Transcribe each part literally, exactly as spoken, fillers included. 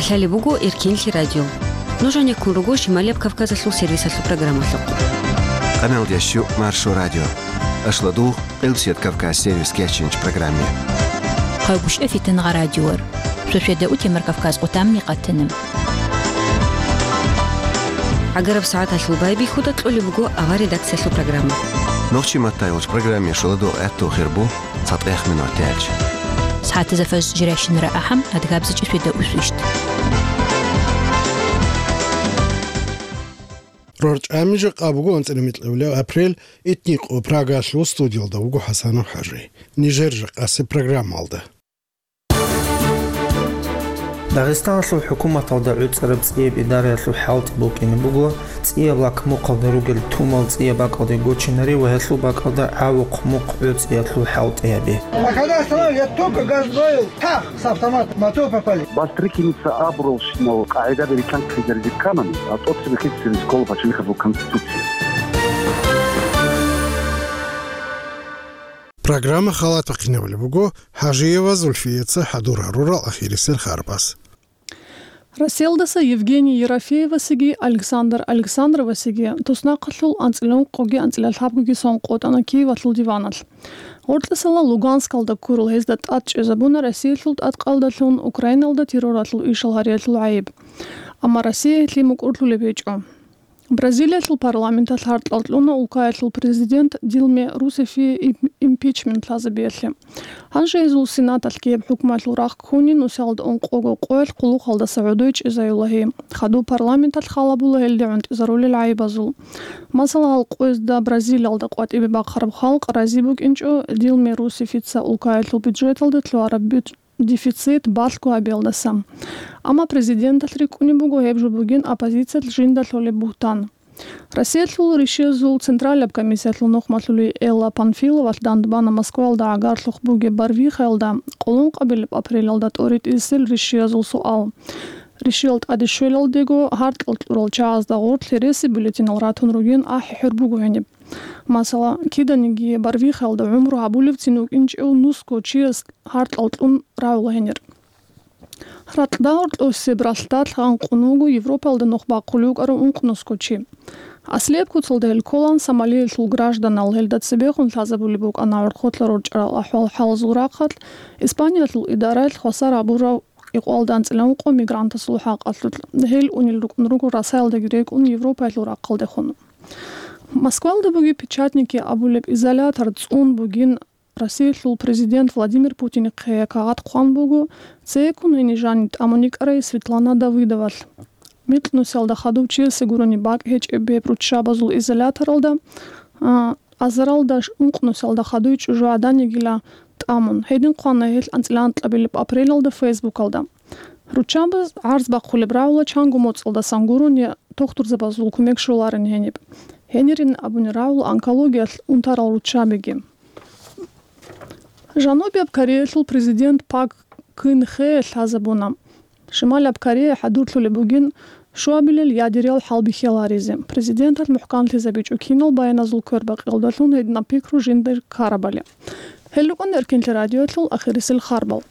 Лъалеб буго Эркинлъи радио. Нуж гьанеккун руго Шималияб Кавказалъул сервисалъул программалъухъ. Къаналдящу Маршо радио. Ашладугъ, Къилбсият Кавказ сервис кечинч программе. Хъайгушев Фитангъа радиор. Шошеда утемар Кавказ къутамни къатана. ГӀагараб сагӀаталъул байбихьуда кьолеб буго авар редакциялъул программа. Нохчи матайулч программе шуладугъ гӀатту хирбу. ЦатӀех минуталъ. СагӀатазда фажр жирайщинара ахӀам, адгабзичӀеб свида усвищт. РорчӀами жакъа буго анцӀила микьабилеб апрель, итни къо Прагалъул студиялда вуго ХӀасанов ХӀажи. Нижер жакъасеб программалда. Дагъистаналъул хӀукуматалда гӀуцӀараб цӀияб идараялъул хӀалтӀи букӀине буго, цӀияб лакмукъалда ругел тумал цӀияб бакӀалде гочинаре ва гьелъул бакӀалда гӀавухъ мухъ гӀуцӀиялъул хӀалтӀи гьабе. А когда остановили, я только газ ловил, пах, с автомата, в мотор попали. Бастрыкиница абуралщинал къагӀидаби рикканхъизаризе кканани, а тӀоцебехъин церес ккола пачалихъабазул конституция. Программа халат бахъинабулеб буго ХӀажиева Зульфияца хӀадур гьарурал ахирисел харбаз. Россиялдаса Евгений Ерофеевасеги Александр Александровасеги туснахъалъул анцӀила ункъоги анцӀила лъабгоги сон къотӀана Киевалъул диваналъ. Гъоркьесала Луганскалда ккурал гьезда тӀад чӀезабуна Россиялъул тӀадкъалдалъун Украиналда терроралъул ишал гьариялъул гӀайиб. Амма Россия гьелъие мукӀурлъулеб гьечӀо. Бразилиялъул парламенталъ гьаркьал кьуна улкаялъул президент Дилме Русефие им-, импичмент лъазабиялъе. Гьанже гьезул Сенаталъ ккеяб хӀукмуялъул рахъ ккуни нусиялда ункъого къоялъ хъулухъалдаса гӀодой чӀезаюла гьей. Хадуб парламенталъ халабула гьелде гӀунтӀизарулел гӀайибазул. Масала, гьал къоязда Бразилиялда къватӀибе бахъараб халкъ рази букӀинчӀо Дилме Русефица улкаялъул бюджеталда лъугьараб бюд-, дефицит балъго гьабиялдаса. Амма президенталъ рикӀкӀунеб буго гьеб жо бугин оппозициялъ жинда лъолеб бугьтан. Россиялъул ришиязул централаб комиссиялъул нухмалъули Элла Панфиловалъ дандбана Москваялда гӀагарлъухъ бугеб барвихаялда, къолонкъабилеб апрелалда тӀоритӀисел ришиязул суал. Ришиял тӀаде щвелалдего, гьаркьал кьурал чагӀазда гъорлъ гьереси бюллетенал ратун ругин ахӀи-хӀур буго гьениб. Масала, киданиги барвихаялда гӀумру гьабулевцин вукӀинчӀев нусго чияс гьаркьал кьун рагӀула гьенир. Ракьда гьоркьосеб ралъдалъ гъанкъун вуго Европалда нух бахъулев вукӀарав ункънусго чи. Аслияб куцалда гьел кколаан Сомалиялъул гражданал, гьелда цебехун лъазабулеб букӀана гӀорхъолъа рорчӀарал ахӀвал-хӀалазул рахъалъ, Испаниялъул идараялъ хвасар гьабурав кӀикъоялда анцӀила ункъо мигрантасул хӀакъалъулъ. Гьел унел рукӀун руго Расаялдаги рекӀун Европаялъул рахъалдехун. Москвалда бугеб Печатники абулеб изолятор цӀун бугин Россиялъул президент Владимир Путинихъе кагъат хъван буго цейккун гьениб жаниб тӀамун йикӀарай Светлана Давыдовалъ. Микьнусиялда хадув чиясе гурони бакӀ гьечӀеб гьеб руччабазул изоляторалда, а, азаралда ш-, ункънусиялда хадуй чӀужугӀадан йигила тӀамун. Гьедин хъвана гьелъ анцӀила анкьабилеб апрелалда Фейсбукалда. Руччабаз гӀарз бахъулеб рагӀула чанго моцӀалдасан гурони я тухтурзабазул кумек щоларин гьениб. Гьенирин абуни рагӀула онкологиялъ унтарал руччабиги. Жанубияб Кореялъул президент Пак Кын Хе лъазабуна. Шималаб Корея хӀадурлъулеб бугин щуабилел ядериял хӀалбихьи гьаризе. Президенталъ мухӀканлъизабичӀо кинал баяназул квербакъиялдалъун гьединаб пикру жиндир ккарабали. Гьел рукӀун Эркинлъи радиоялъул ахирисел харбал.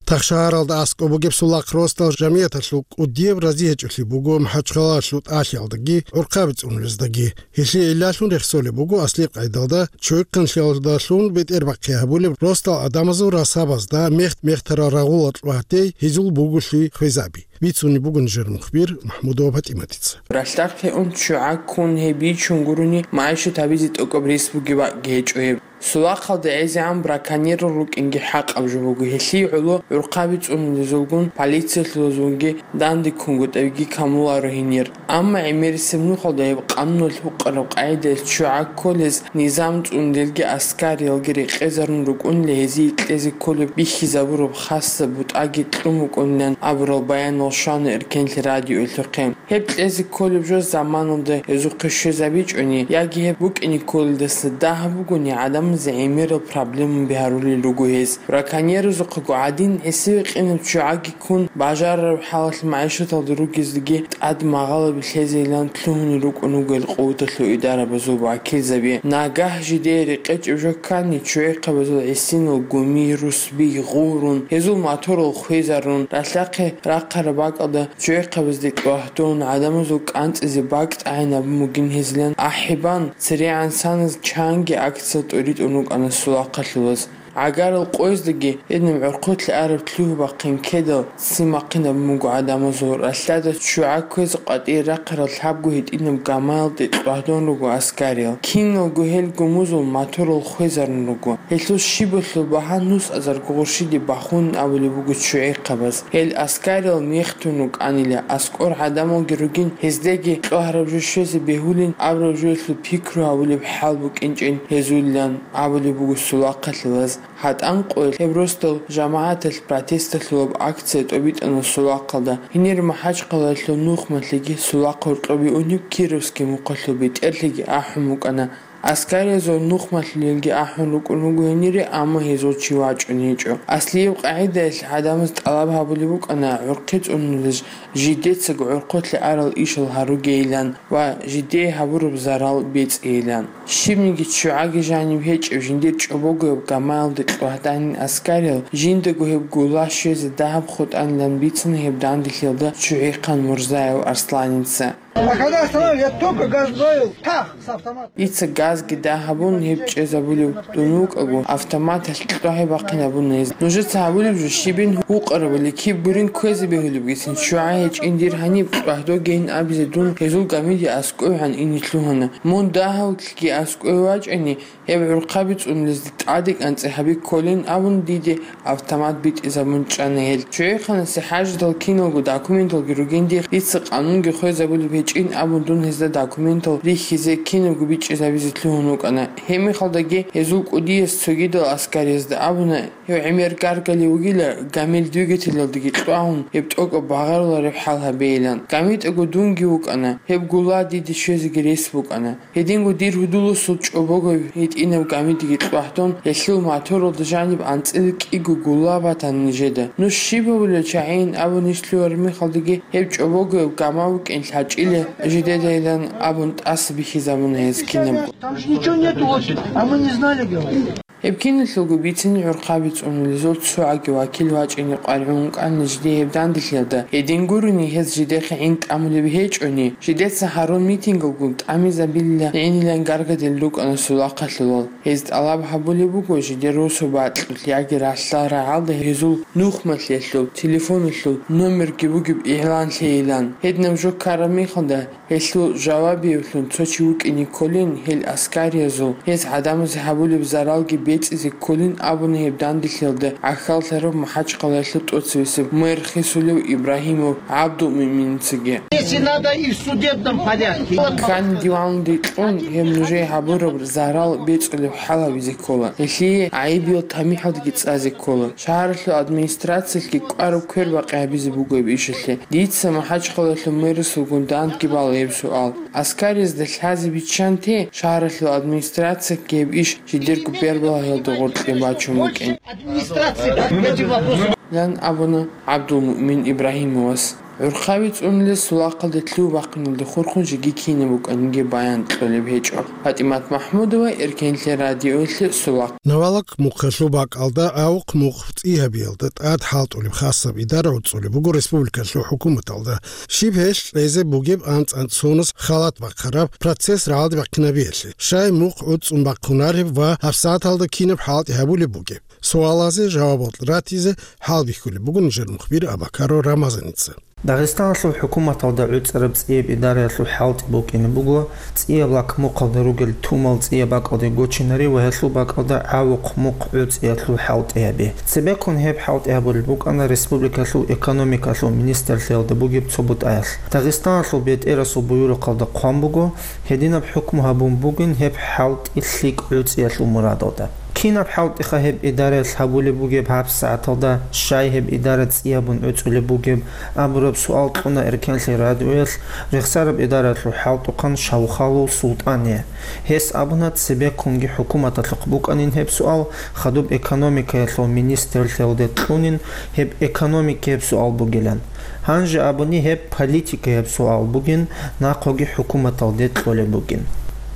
Тахшагьаралда аскӀоб бугеб Сулахъ росдал жамигӀаталъул кӀудияб рази гьечӀолъи буго МахӀачхъалалъул тӀалъиялдаги гӀурхъаби цӀунулездаги. Гьелъие гӀиллалъун рехсолеб буго аслияб къайдалда чойхъанлъиялдалъун бетӀербахъи гьабулеб росдал гӀадамазул расабазда мехт-мехтарал рагъула кьватей гьезул буголъи хвезаби. Бицунеб буго нижер мухбир МахӀмудова ПатӀиматица. Ралъдахъе ун ччугӀа ккун гьеб бичун гурони, магӀишат гьабизе тӀокӀаб рес бугеб бакӀги гьечӀо гьеб. Сулахъалда гӀезегӀан браконьерал рукӀинги хӀакъаб жо буго, гьелъие гӀоло гӀурхъаби цӀунулезулгун, полициялъулазулги дандеккунгутӀабиги камуларо гьенир. Амма гӀемерисеб нухалда гьеб къануналъ гьукъараб къагӀидаялъ ччугӀа кколез низам цӀунулелги аскариялги рекъезарун рукӀунила гьезие кьезе кколеб бихьизабураб хасаб бутӀаги кьун букӀунилан абурал баянал Щвана эркенлъи радиоялъухъе. Гьеб кьезе кколеб жо заманалда гьезухъе щвезабичӀони яги гьеб букӀине кколелдаса дагьаб бугони гӀадамазе гӀемерал проблемаби гьарулел руго гьез. Браконьерзухъего гӀадин гӀисиве къинаб ччугӀаги ккун, бажарараб хӀалалъ магӀишаталда ругездаги тӀад магъалаби лъезейилан лъугьунел рукӀун руго гьел къуваталъул идарабазул вакилзаби. Нагагь жидее рекъечӀеб жо ккани, ччугӀихъабазул гӀисинал гуми, русби гъурун, гьезул моторал хвезарун, ралъдахъе рахъараб бакӀалда ччугӀихъабазде тӀлагьдун, гӀадамазул кӀанцӀизе бакӀ тӀагӀинабун бугин гьезилан ахӀи бан, церегӀан саназ чанги акциял тӀоритӀун рукӀана сулахъалъулаз. ГӀагарал къояздаги гьединаб гӀорхъулъе араб лъугьа-бахъин ккедал ццин бахъинабун буго гӀадамазул. Ралъдада ччугӀа кквезе къватӀире рахъарал лъабго гьитӀинаб гамаялде тӀлагьдун руго аскариял. Киналго гьел гумузул моторал хвезарун руго. Гьелъул щибалъул багьа нусазарго гъурщиде бахунин абулеб буго ччугӀихъабаз. Гьел аскариял мехтун рукӀанила, аскӀор гӀадамалги ругин, гьездаги тӀлагьараб жо щвезе бегьулин абураб жоялъул пикру гьабулеб хӀал букӀинчӀин гьезулилан абулеб буго сулахъалъулаз. ГьатӀан къоялъ гьеб росдал жамагӀаталъ протесталъулаб акция тӀобитӀана сулахъалда. Гьенир МахӀачхъалаялъул нухмалъиги сулахъ гьоркьобе унеб Кировский мухъалъул бетӀерлъиги ахӀун букӀана. Аскариязул нухмалъулелги ахӀун рукӀун руго гьенире, амма гьезул чи вачӀун гьечӀо. Аслияб къагӀидаялъ гӀадамаз тӀалаб гьабулеб букӀана гӀурхъи цӀунулел жидецаго гӀорхъулъе арал ишал гьаругейилан ва жидее гьабураб зарал бецӀейилан. Щибниги ччугӀаги жаниб гьечӀеб жиндир чӀобогояб гамаялде тӀлагьданин аскариял, жиндаго гьеб гула щвезе дагьаб хутӀанилан бицана гьеб данделъиялда ччугӀихъан Мурзаев Арсланица. А когда остановили, я только газ добавил, пах, с автомата. Дица газги дагьабун гьеб чӀезабулев дун вукӀаго, автоматалъ кьвагьи бахъинабуна гьез. Нужеца гьабулеб жо щибин гьукъарабали киб гурин кквезе бегьулебгицин ччугӀа гьечӀин дир гьаниб кьвагьдогейин абизе дун гьезул гамиде аскӀовегӀан ине лъугьана. Мун дагьавлъги аскӀове вачӀани, гьеб гӀурхъаби цӀунулезде тӀаде кӀанцӀи гьаби кколин абун диде автомат битӀизабун чӀана гьел. ЧчугӀихъанасе хӀажидал киналго документалги ругин дихъ, дица къанунги хвезабулеб гьечӀин абун дун гьезда документал рихьизе кинабго бичӀчӀизабизе лъугьун вукӀана. Гьеб мехалдаги гьезул кӀудияс цогидал аскариязда абуна, гьев гӀемер гаргалев вугила, гамил двигателалдаги кьвагьун, гьеб тӀокӀаб багъарулареб хӀал гьабейилан. ГамитӀаго дунги вукӀана, гьеб гула диде щвезеги рес букӀана. Гьединго дир гьудуласул чӀобогояб гьитӀинаб гамидеги кьвагьдун, гьелъул моторалда жаниб анцӀила кӀиго гула батана нижеда. Нуж щиб гьабулел чагӀийин абун иш лъугьараб мехалдаги, гьеб чӀобогояб гама букӀин лъачӀила жидедайилан абун тӀаса бихьизабуна гьез кинабго. Там же ничего нету, вот, а мы не знали, говорит. Гьеб киналъулго бицин гӀурхъаби цӀунулезул цо гӀаги вакил вачӀине къваригӀун вукӀана жидее гьеб данделъиялда. Гьедин гурони гьез жидехъе гӀин тӀамулеб гьечӀони, жидеца гьарун митингалгун тӀамизабилила гӀинилан гаргадил рукӀана сулахъалъулал. Гьез тӀалаб гьабулеб буго жидер росу бакьулъ яги ралъдал рагӀалда гьезул нухмалъиялъул телефоналъул номерги бугеб игълан лъейилан. Гьединаб жо ккараб мехалда, гьелъул жавабиявлъун цо чи вукӀине кколин, гьел аскариязул, гьез гӀадамазе гьабулеб заралги бецӀизе кколин абуна гьеб данделъиялда гӀахьаллъарав МахӀачхъалаялъул тӀоцевесеб мэр хисулев Ибрагьимов ГӀабдулмуъминицаги. Если надо, и в судебном порядке. Ккани диванде кьун гьеб нужее гьабураб зарал бецӀулеб хӀал гьабизе ккола. Гьелъие гӀайибиял тамихӀалдаги цӀазе ккола. Шагьаралъул администрациялъги кӀвараб квербакъи гьабизе буго гьеб ишалъе. Дица МахӀачхъалаялъул мэрасулгун дандги бала гьеб суал. Аскариязда лъазе биччанте, шагьаралъул администрациялъги гьеб иш жидерго бербалагьиялда гъоркье бачун букӀин. Администрация эти вопросы. Лан абуна ГӀабдулмуъмин Ибрагьимовас. ГӀурхъаби цӀунулел сулахъалде лъугьа-бахъиналде хурхун жеги кинаб букӀаниги баян кьолеб гьечӀо. ПатӀимат МахӀмудова, Эркенлъи радиоялъе, Сулахъ. Навалак мухъалъул бакӀалда гӀавухъ-мухъ цӀи гьабиялда тӀад хӀалтӀулеб хасаб идара гӀуцӀулеб буго республикалъул хӀукуматалда. Щиб гьелъ кьезе бугеб анцӀ-анцӀ соназ халат бахъараб процесс рагӀалде бахъинабиялъе, щай мухъ гӀуцӀун бахъунареб ва гьабсагӀаталда кинаб хӀалтӀи гьабулеб бугеб? Суалазе жавабал ратизе хӀалбихьулеб буго нижер мухбир Абакаров Рамазаница. Дагъистаналъул хӀукуматалда гӀуцӀараб цӀияб идараялъул хӀалтӀи букӀине буго цӀияб лак мухъалда ругел тумал цӀияб бакӀалде гочинари ва гьелъул бакӀалда гӀавухъ-мухъ гӀуцӀиялъул хӀалтӀи гьаби. Цебеккун гьеб хӀалтӀи гьабулеб букӀана республикалъул экономикалъул министрлъиялда бугеб цо бутӀаялъ. Дагъистаналъул бетӀерасул буюрухъалда хъван буго, гьединаб хӀукму гьабун бугин гьеб хӀалтӀи лъикӀ гӀуцӀиялъул мурадалда. Кинаб хӀалтӀиха гьеб идараялъ гьабулеб бугеб гьабсагӀаталда, щай гьеб идара цӀиябун гӀуцӀулеб бугеб абураб суал кьуна Эркенлъи радиоялъ рехсараб идараялъул хӀалтӀухъан Шавхалов СултӀане. Гьес абуна, цебеккунги хӀукуматалъухъ букӀанин гьеб суал, хадуб экономикаялъул министрлъиялде кьунин гьеб экономикаяб суал бугилан. Гьанже абуни гьеб политикаяб суал бугин, нахъоги хӀукуматалде кьолеб бугин.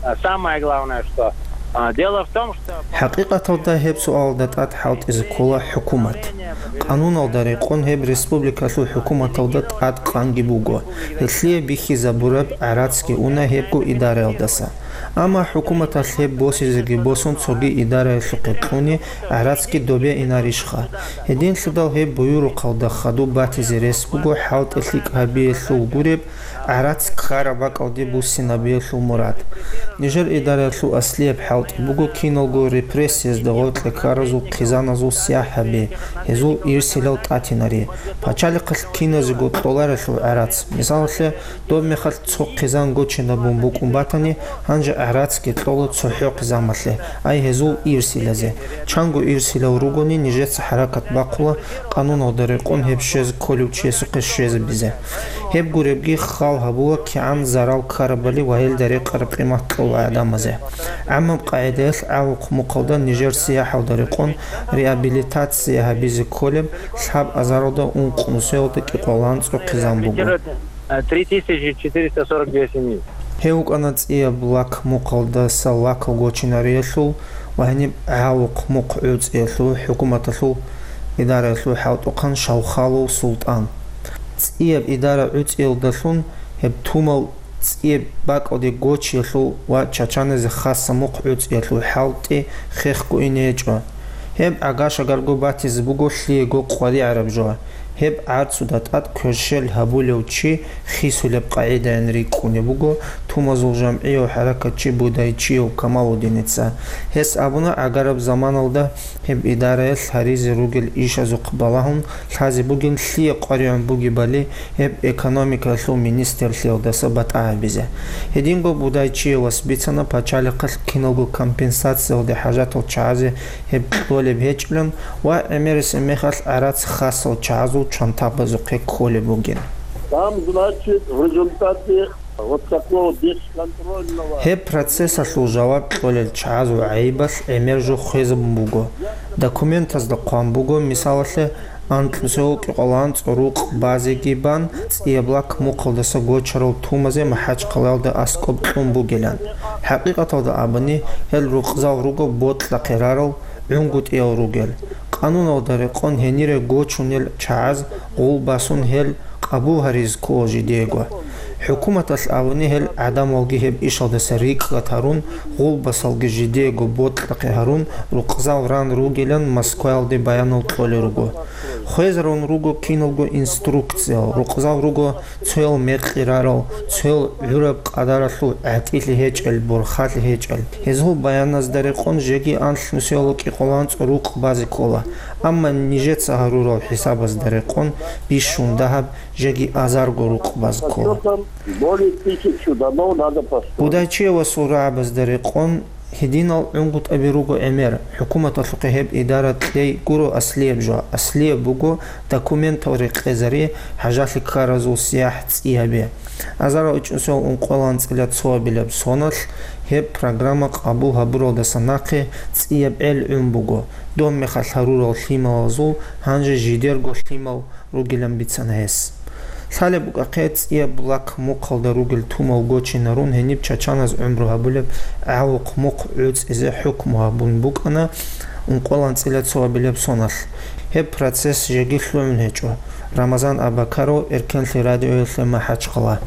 А самое главное, что, а, дело в том, что ХӀакъикъаталда гьеб суалда тӀад хӀалтӀизе ккола хӀукумат. Къануналда рекъон гьеб республикалъул хӀукуматалда тӀад къанги буго, гьелъие бихьизабураб гӀарацги уна гьебго идараялдаса. Амма хӀукуматалъ гьеб босизеги босун цоги идараялъухъе кьуни гӀарацги добе инарищха? Гьединлъидал гьеб буюрухъалда хадуб батизе рес буго хӀалтӀи лъикӀ гьабиялъул гуреб, гӀарац ккараб бакӀалде буссинабиялъул мурад. Нижер идараялъул аслияб хӀалтӀи буго киналго репрессиязда гъоркье ккаразул хъизаназул сияхӀ гьаби, гьезул ирсилал тӀатинари, пачалихъалъ киназего кьоларелъул гӀарац. Мисалалъе, доб мехалъ цо хъизан гочинабун букӀун батани, гьанже гӀарацги кьола цохӀо хъизамалъе, ай гьезул ирсилазе. Чанго ирсилал ругони, нижеца хӀаракат бахъула, къануналда рекъон гьеб щвезе кколев чиясухъе щвезабизе. Гьеб гуребги хал гьабула кигӀан зарал ккарабали ва гьелда рекъараб къимат кьола гӀадамазе. ГӀаммаб къагӀидаялъ гӀавухъ мухъалда нижер сияхӀалда рекъон реабилитация гьабизе кколеб лъаб азаралда ункънусиялда кӀикъоялда анцӀго хъизан буго. Э, три тысячи четыреста сорок две семьи. Гьев вукӀана цӀияб лак мухъалдаса лакал гочинариялъул ва гьениб гӀавухъ мухъ гӀуцӀиялъул хӀукуматалъул идараялъул хӀалтӀухъан Шавхалов Султан. ЦӀияб идара гӀуцӀиялдалъун гьеб тумал цӀияб бакӀалде гочиялъул ва чачаназе хаса мухъ гӀуцӀиялъул хӀалтӀи хехго ине гьечӀо. Гьеб гӀага-шагарго батизе буго лъиего къваригӀараб жо. Гьеб гӀарцуда тӀад кверщел гьабулев чи хисулеб къагӀидаян рикӀкӀунеб буго тумазул жамгӀияв хӀаракатчи Будайчиев Камалудиница. Гьес абуна, гӀагараб заманалда гьеб идараялъ гьаризе ругел ишазухъ балагьун лъазе бугин лъие къваригӀун бугебали гьеб экономикаялъул министрлъиялдаса батӀа гьабизе. Гьединго Будайчиевас бицана пачалихъалъ киналго компенсациялде хӀажатал чагӀазе гьеб кьолеб гьечӀилан ва гӀемерисеб мехалъ гӀарац хасал чагӀазул чантабазухъе кколеб бугин. Там, значит, в результате вот такого бесконтрольного... Гьеб процессалъул жаваб кьолел чагӀазул гӀайибалъ гӀемер жо хвезабун буго. Документазда хъван буго, мисалалъе, анкьусевал кӀикъоялда анцӀго рукъ базеги бан, цӀияб лак мухъалдаса гочарал тумазе МахӀачхъалаялда аскӀоб кьун бугилан. ХӀакъикъаталда абуни, гьел рукъзал руго бокьахъе рарал, гӀунгутӀиял ругел. Къануналда рекъон гьенире гочунел чагӀаз гъул басун гьел къабул гьаризе ккола жидего. ХӀукуматалъ абуни гьел гӀадамалги гьеб ишалдаса рикӀкӀад гьарун, гъул басалги жидего бокьахъе гьарун, рукъзал ран ругилан Москваялде баянал кьолел руго. Хвезарун руго киналго инструкциял, рукъзал руго цоял мекъи рарал, цоял гӀураб къадаралъул гӀатӀилъи гьечӀел, борхалъи гьечӀел. Гьезул баяназда рекъон жеги анлънусиялда кӀикъоялда анцӀго рукъ базе ккола, амма нижеца гьарурал хӀисабазда рекъон бищун дагьаб жеги азарго рукъ базе ккола. Более тысячу домов надо построить. Будайчиевасул рагӀабазда рекъон гьединал гӀунгутӀаби руго гӀемер, хӀукуматалъухъе гьеб идара кьей гуро аслияб жо, аслияб буго документал рекъезари, хӀажалъи ккаразул сияхӀ цӀи гьаби. Азарал ичӀнусиялда ункъоялда анцӀила цоабилеб соналъ гьеб программа къабул гьабуралдаса нахъе цӀияб гӀел гӀун буго, доб мехалъ гьарурал лъималазул гьанже жидерго лъимал ругилан бицана гьес. Лъалеб букӀахъе, цӀияб лак мухъалда ругел тумал гочинарун гьениб чачаназ гӀумру гьабулеб гӀавухъ мухъ гӀуцӀизе хӀукму гьабун букӀана ункъоялда анцӀила цоабилеб соналъ. Гьеб процесс жеги лъугӀун гьечӀо. Рамазан Абакаров, Эркенлъи радиоялъе, МахӀачхъала.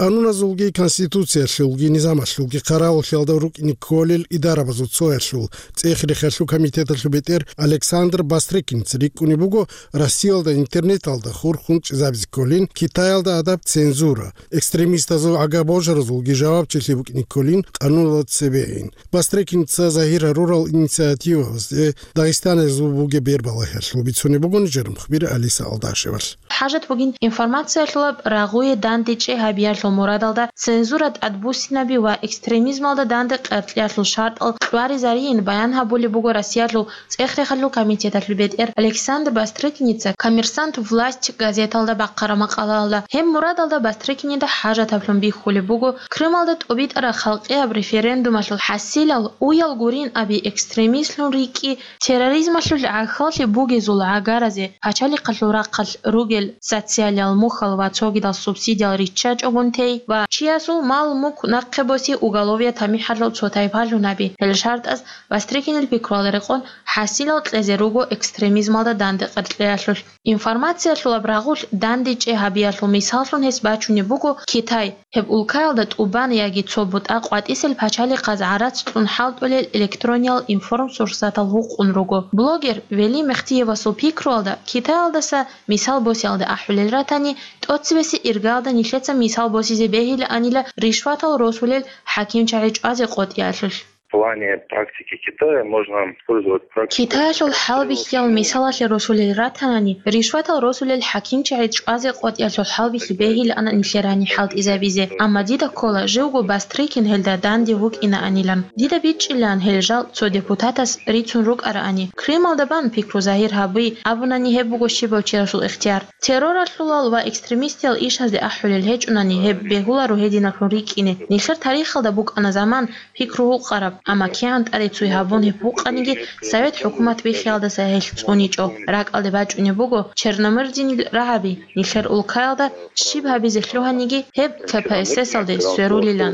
Къануназулги Конституциялъулги низамалъулги хъаравуллъиялда рукӀине кколел идарабазул цоялъул, ЦӀехи-рехиялъул комитеталъул бетӀер Александр Бастрыкинца рикӀкӀунеб буго Россиялда интернеталда хурхун чӀезабизе кколин, Китаялда гьадаб цензура, экстремистазул гӀага-божаразулги жавабчилъи букӀине кколин къануналда цебейин. Бастрыкинца загьир гьарурал инициативабазде Дагъистаналъул бугеб бербалагьиялъул бицунеб буго нижер мухбир Алиса Алдашевалъ. ХӀажат бугин информациялъулаб рагъуе дандечӀей гьабиялъул. мурадалда цензура тӀадбуссинаби ва экстремизмалда данде къеркьеялъул шартӀал кьваризарийин баян гьабулеб буго Россиялъул цӀех-рехалъул комитеталъул бетӀер Александр Бастрыкиница «Коммерсант. Власть» газеталда бахъараб макъалаялда. Гьеб мурадалда Бастрыкинида хӀажатаблъун бихьулеб буго Крымалда тӀобитӀараб халкъияб референдумалъул хӀасилал уял гурин аби экстремистлъун рикӀкӀи, терроризмалъул гӀахьаллъи бугезул гӀагаразе, пачалихъалъул рахъалъ ругел социалиял мухьал ва цогидал субсидиял риччачӀогун тей ва чиясул мал-мулк нахъе боси уголовият тамихӀалъул цо тайпалъун гьаби. Гьел шартӀаз Бастрыкинил пикруялда рекъон хӀасилал кьезе руго экстремизмалда данде къеркьеялъулъ. Информациялъул аб рагъулъ дандечӀей гьабиялъул мисаллъун гьес бачунеб буго Китай. Гьеб улкаялда тӀубан яги цо бутӀа къватӀисел пачалихъаз гӀарац кьун хӀалтӀулел электрониял информсурсатал гьукъун руго. Блогер Вели Мехтиевасул пикруялда, Китаялдаса мисал босиялде ахӀулел ратани, тӀоцебесеб иргаялда нилъеца мисал босизе бегьилаанила ришватал росулел хӀакимчагӀи чӀвазе къотӀиялъулъ. В плане практики Китая можно использовать практику. Китаялъул хӀалбихьиял мисалалъе росулел ратанани, ришватал росулел хӀакимчагӀи чӀвазе къотӀиялъул хӀалбихьи бегьилаан нилъер гьаниб хӀалтӀизабизе. Амма дида ккола, живго Бастрыкин гьелда данде вукӀинаанилан. Дида бичӀчӀилаан гьел жал цо депутатас рицун рукӀараани. Крымалда бан пикру загьир гьаби абунани, гьеб буго щибав чиясул ихтияр. Терроралъулал ва экстремистиял ишазде ахӀулел гьечӀунани гьеб бегьуларо гьединаблъун рикӀкӀине. Нилъер тарихалда букӀана заман пикру гьукъараб, амма кигӀан тӀаде цуй гьабун гьеб букъаниги, совет хӀукумат биххиялдаса гьелъ цӀуничӀо. РакӀалде бачӀунеб буго Черномырдинил рагӀаби, нилъер улкаялда щиб гьабизе лъугьаниги гьеб К П С С-алде сверулилан.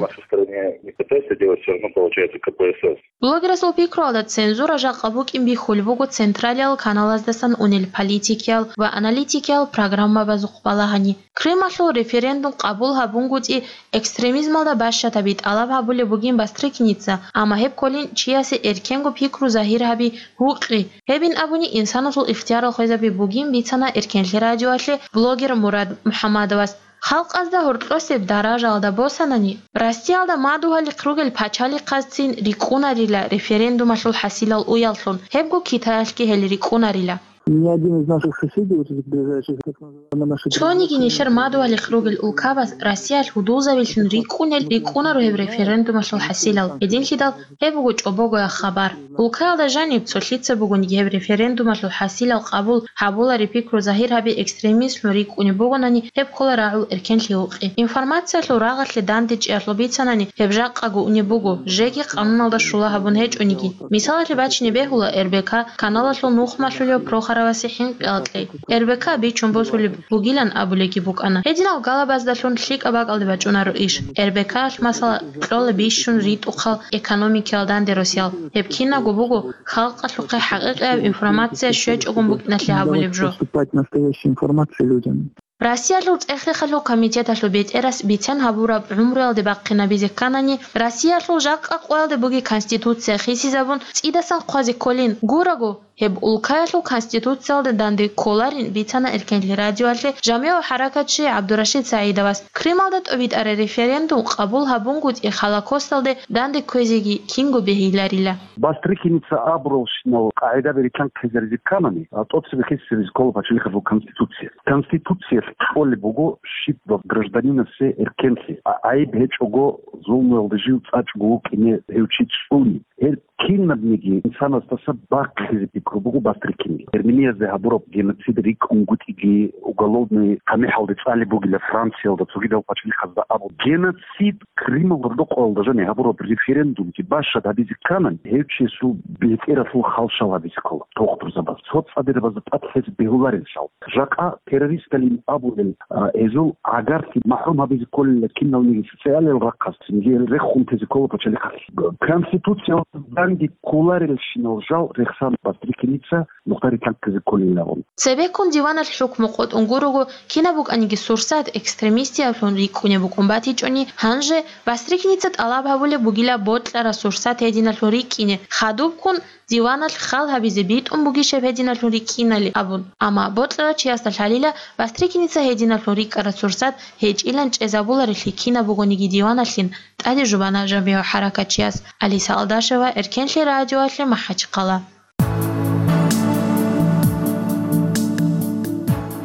Блогерасул пикруялда, цензура жакъа букӀин бихьулеб буго централиял каналаздасан унел политикиял ва аналитикиял программабазухъ балагьани. Крымалъул референдум къабул гьабунгутӀи экстремизмалда бащадабизе тӀалаб гьабулеб бугин Бастрыкиница, амма гьеб кколин чиясе эркенго пикру загьир гьаби гьукъи. Гьебин абуни, инсанасул ихтиярал хвезаби бугин бицана Эркенлъи радиоялъе блогер Мурад МухӀаммадовас. Халкъазда гьоркьосеб даражаялда босанани, Россиялда мадугьалихъ ругел пачалихъазцин рикӀкӀунарила референдумалъул хӀасилал уяллъун, гьебго Китаялъги гьел рикӀкӀунарила. Ни один из наших соседей, вот этих ближайших, так называемые наши... Цониги нилъер мадугьалихъ ругел улкабаз Россиялъ гьудулзабилъун рикӀкӀунел рикӀкӀунаро гьеб референдумалъул хӀасилал. Гьединлъидал гьеб буго чӀобогояб хабар. Улкаялда жаниб цолъица бугониги гьеб референдумалъул хӀасилал къабул гьабулареб пикру загьир гьаби экстремизмлъун рикӀкӀунеб бугонани, гьеб ккола рагӀул эркенлъи гьукъи. Информациялъул рагъалъе дандечӀеялъул бицанани, гьеб жакъаго унеб буго, жеги къануналда щула гьабун гьечӀониги. Мисалалъе бачине бегьула Р Б К каналалъул нухмалъулев Прохоровасе хӀинкъи акьи. Р Б К бичун босулеб бугилан абулебги букӀана. Гьединал галабаздалъун лъикӀаб бакӀалде бачӀунаро иш. Р Б К-алъ, масала, кьола бищун ритӀухъал экономикиял данде росиял. Гьеб кинабго буго халкъалъухъе хӀакъикъияб информация щвечӀогун букӀиналъе гьабулеб жо. Поступать настоящая информация людям. Россиялъул цӀех-рехалъул комитеталъул бетӀерас бицен гьабураб гӀумруялде бахъинабизе кканани, Россиялъул жакъа къоялде бугеб Конституция хисизабун цӀидасан хъвазе кколин. Гураго, гьеб улкаялъул Конституциялда данде кколарин бицана Эркенлъи радиоялъе жамигӀ хӀаракатчи ГӀабдурашид СагӀидовас. Крымалда тӀобитӀараб референдум къабул гьабунгутӀи Холокосталде данде кквезеги кинго бегьиларила. Бастрыкиница абуралщинал къагӀидаби рилълъанхъизаризе кканани, а, тӀоцебе хисизаризе ккола пачалихъалъул Конституция. Конституциялъ кьолеб буго щиб гражданинасе эркенлъи, а, гӀайиб гьечӀого, зулмуялда жив цӀачӀого вукӀине гьев чи цӀуни. Гьел кинабниги инсанасдаса бахъизе пикру буго Бастрыкинил. Германиязде гьабураб геноцид рикӀкӀунгутӀиги, уголовный тамихӀалде цӀалеб бугила Франциялда, цогидал пачалихъазда абун. Геноцид Крымалда рокъоялда жаниб гьабураб референдумги бащад гьабизе кканани, гьев чиясул бетӀералъул халщал гьабизе ккола, тухтурзабаз. ЦоцӀадерабазда тӀад лъезе бегьуларелъул. Жакъа террористалин абулел, а, гьезул гӀагарлъи махӀрум гьабизе кколила киналниги социалиял рахъалъ, цинги гьел рехун тезе ккола пачалихъалъ. Конституциялда данде кколарелщинал жал рехсан Бастрыкиница нухда рилълъанхъизе кколилаан. Цебеккун диваналъ хӀукму къотӀун гурого, кинаб букӀаниги сурсат экстремистияблъун рикӀкӀунеб букӀун батичӀони, гьанже Бастрыкиница тӀалаб гьабулеб бугила бокьараб сурсат гьединалъун рикӀкӀине, хадубккун диваналъ хал гьабизе битӀун бугищ гьеб гьединалъун рикӀкӀинали абун. Амма бокьарав чиясда лъалила, Бастрыкиница гьединалъун рикӀкӀараб сурсат гьечӀилан чӀезабуларелъи кинаб бугониги диваналъин, тӀаде жубана жамигӀ хӀаракатчияс. Алиса Алдашева, Эркенлъи радиоялъе, МахӀачхъала.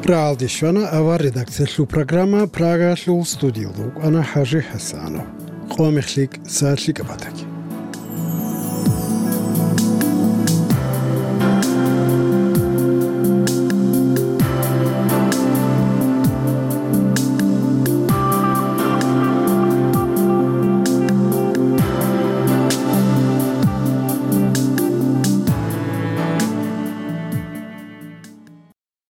Рагьалде щвана авар редакциялъул программа, Прагаялъул студиялда вукӀана ХӀажи ХӀасанов. Къо мехлъи кӀса лъикӀаб батаги.